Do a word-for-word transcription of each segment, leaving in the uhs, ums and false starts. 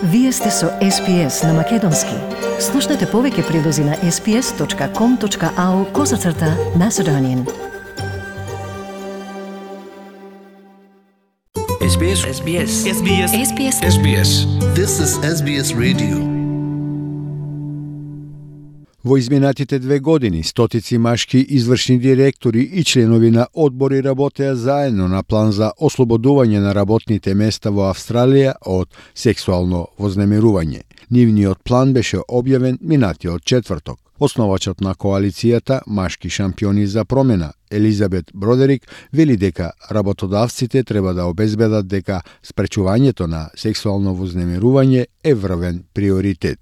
Вие сте со Ес Би Ес на Македонски. Слушнете повеќе прилози на ес би ес точка ком точка ау козацрта Macedonian. Ес Би Ес. Ес Би Ес. Ес Би Ес. Ес Би Ес. Ес Би Ес. This is Ес Би Ес Radio. Во изминатите две години, стотици машки извршни директори и членови на одбори работеа заедно на план за ослободување на работните места во Австралија од сексуално вознемирување. Нивниот план беше објавен минатиот четврток. Основачот на коалицијата Машки шампиони за промена, Елизабет Бродерик, вели дека работодавците треба да обезбедат дека спречувањето на сексуално вознемирување е врвен приоритет.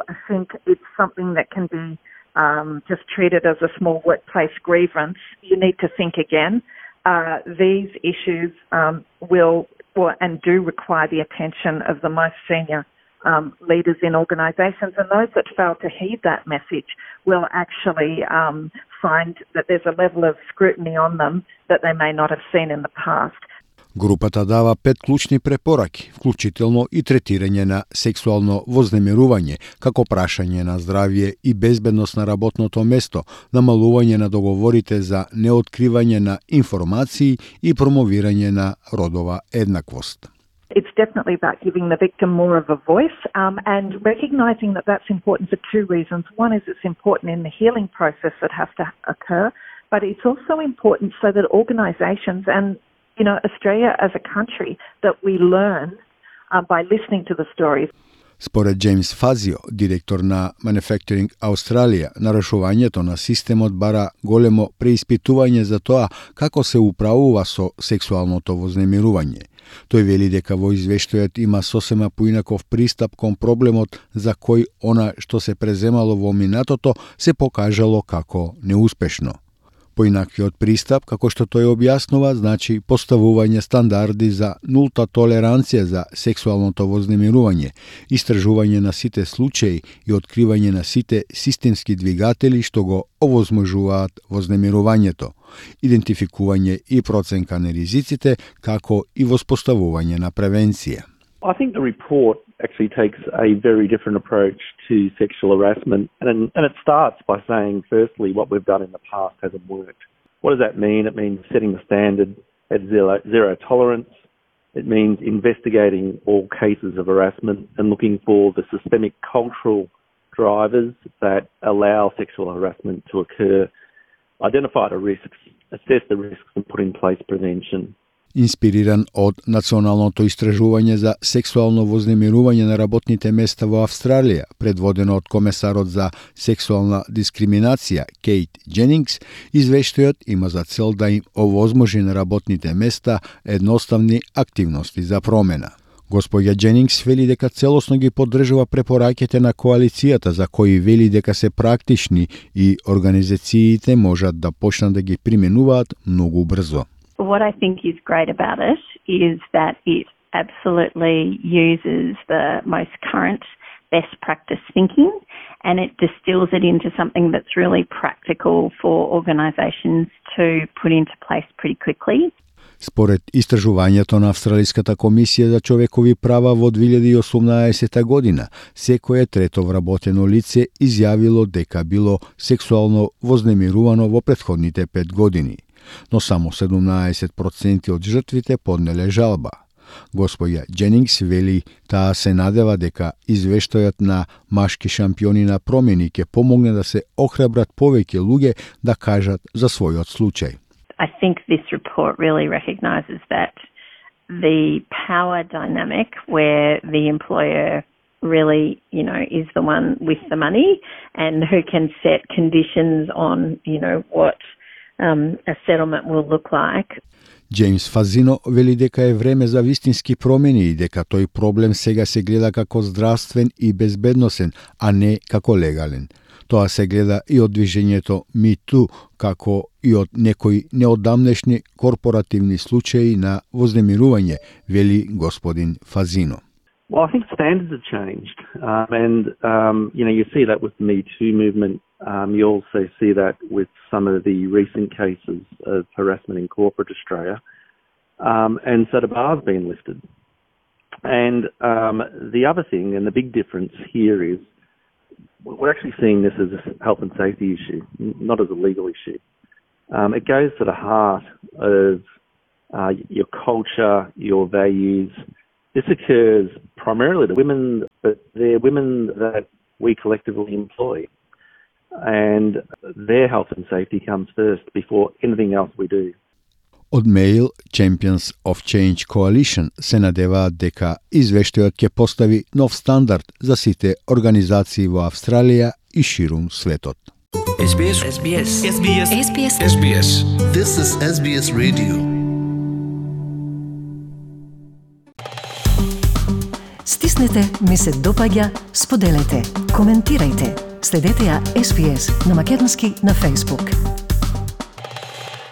I think it's something that can be um, just treated as a small workplace grievance. You need to think again. Uh, these issues um, will or, and do require the attention of the most senior um, leaders in organisations, and those that fail to heed that message will actually um, find that there's a level of scrutiny on them that they may not have seen in the past. Групата дава пет клучни препораки, вклучително и третирање на сексуално вознемирување, како прашање на здравје и безбедност на работното место, намалување на договорите за неоткривање на информации и промовирање на родова еднаквост. It's definitely about giving the victim more of a voice um, and recognising that that's important for two reasons. One is it's important in the healing process that has to occur, but it's also important so that organisations and you know, Australia as a country, that we learn uh, by listening to the stories. Според Джеймс Фазио, директор на Manufacturing Australia, нарушувањето на системот бара големо преиспитување за тоа како се управува со сексуалното вознемирување. Тој вели дека во извештајот има сосема поинаков пристап кон проблемот за кој она што се преземало во минатото се покажало како неуспешно. Поинаквиот пристап, како што тој објаснува, значи поставување стандарди за нулта толеранција за сексуалното вознемирување, истражување на сите случаи и откривање на сите системски двигатели што го овозможуваат вознемирувањето, идентификување и проценка на ризиците, како и воспоставување на превенција. I think the report actually takes a very different approach to sexual harassment, and, and it starts by saying, firstly, what we've done in the past hasn't worked. What does that mean? It means setting the standard at zero, zero tolerance. It means investigating all cases of harassment and looking for the systemic cultural drivers that allow sexual harassment to occur, identify the risks, assess the risks, and put in place prevention. Инспириран од националното истражување за сексуално вознемирување на работните места во Австралија, предводено од комесарот за сексуална дискриминација Кейт Дженингс, извештајот има за цел да им овозможи на работните места едноставни активности за промена. Господја Дженингс вели дека целосно ги поддржува препораките на коалицијата, за кои вели дека се практични и организациите можат да почнат да ги применуваат многу брзо. What I think is great about it is that it absolutely uses the most current best practice thinking and it distills it into something that's really practical for organisations to put into place pretty quickly. Според истражувањето на Австралиската комисија за човекови права во две илјади и осумнаесета година, секое трето вработено лице изјавило дека било сексуално вознемирувано во претходните пет години, но само седумнаесет проценти од жртвите поднеле жалба. Господја Дженингс вели таа се надева дека извештајот на Машки шампиони на промени ќе помогне да се охрабрат повеќе луѓе да кажат за својот случај. I think this report really recognises that the power dynamic where the employer really, you know, is the one with the money and who can set conditions on, you know, what um, a settlement will look like. Джеймс Фазино вели дека е време за вистински промени и дека тој проблем сега се гледа како здравствен и безбедносен, а не како легален. Тоа се гледа и од движењето Me Too, како и од некои неодамнешни корпоративни случаи на вознемирување, вели господин Фазино. Well, I think standards have changed, um, and um, you know you see that with the Me Too movement. Um, you also see that with some of the recent cases of harassment in corporate Australia, um, and so the bar's been lifted. And um, the other thing, and the big difference here is, we're actually seeing this as a health and safety issue, not as a legal issue. Um, it goes to the heart of uh, your culture, your values. This occurs primarily to women, but they're women that we collectively employ. And their health and safety comes first before anything else we do. Од Male Champions of Change Coalition се надеваат дека извештајот ќе постави нов стандард за сите организации во Австралија и ширум светот. S B S, S B S, S B S, S B S, S B S. This is S B S Radio. Стиснете, ми се допаѓа, споделете, коментирајте. Следете ја S B S на македонски на Facebook.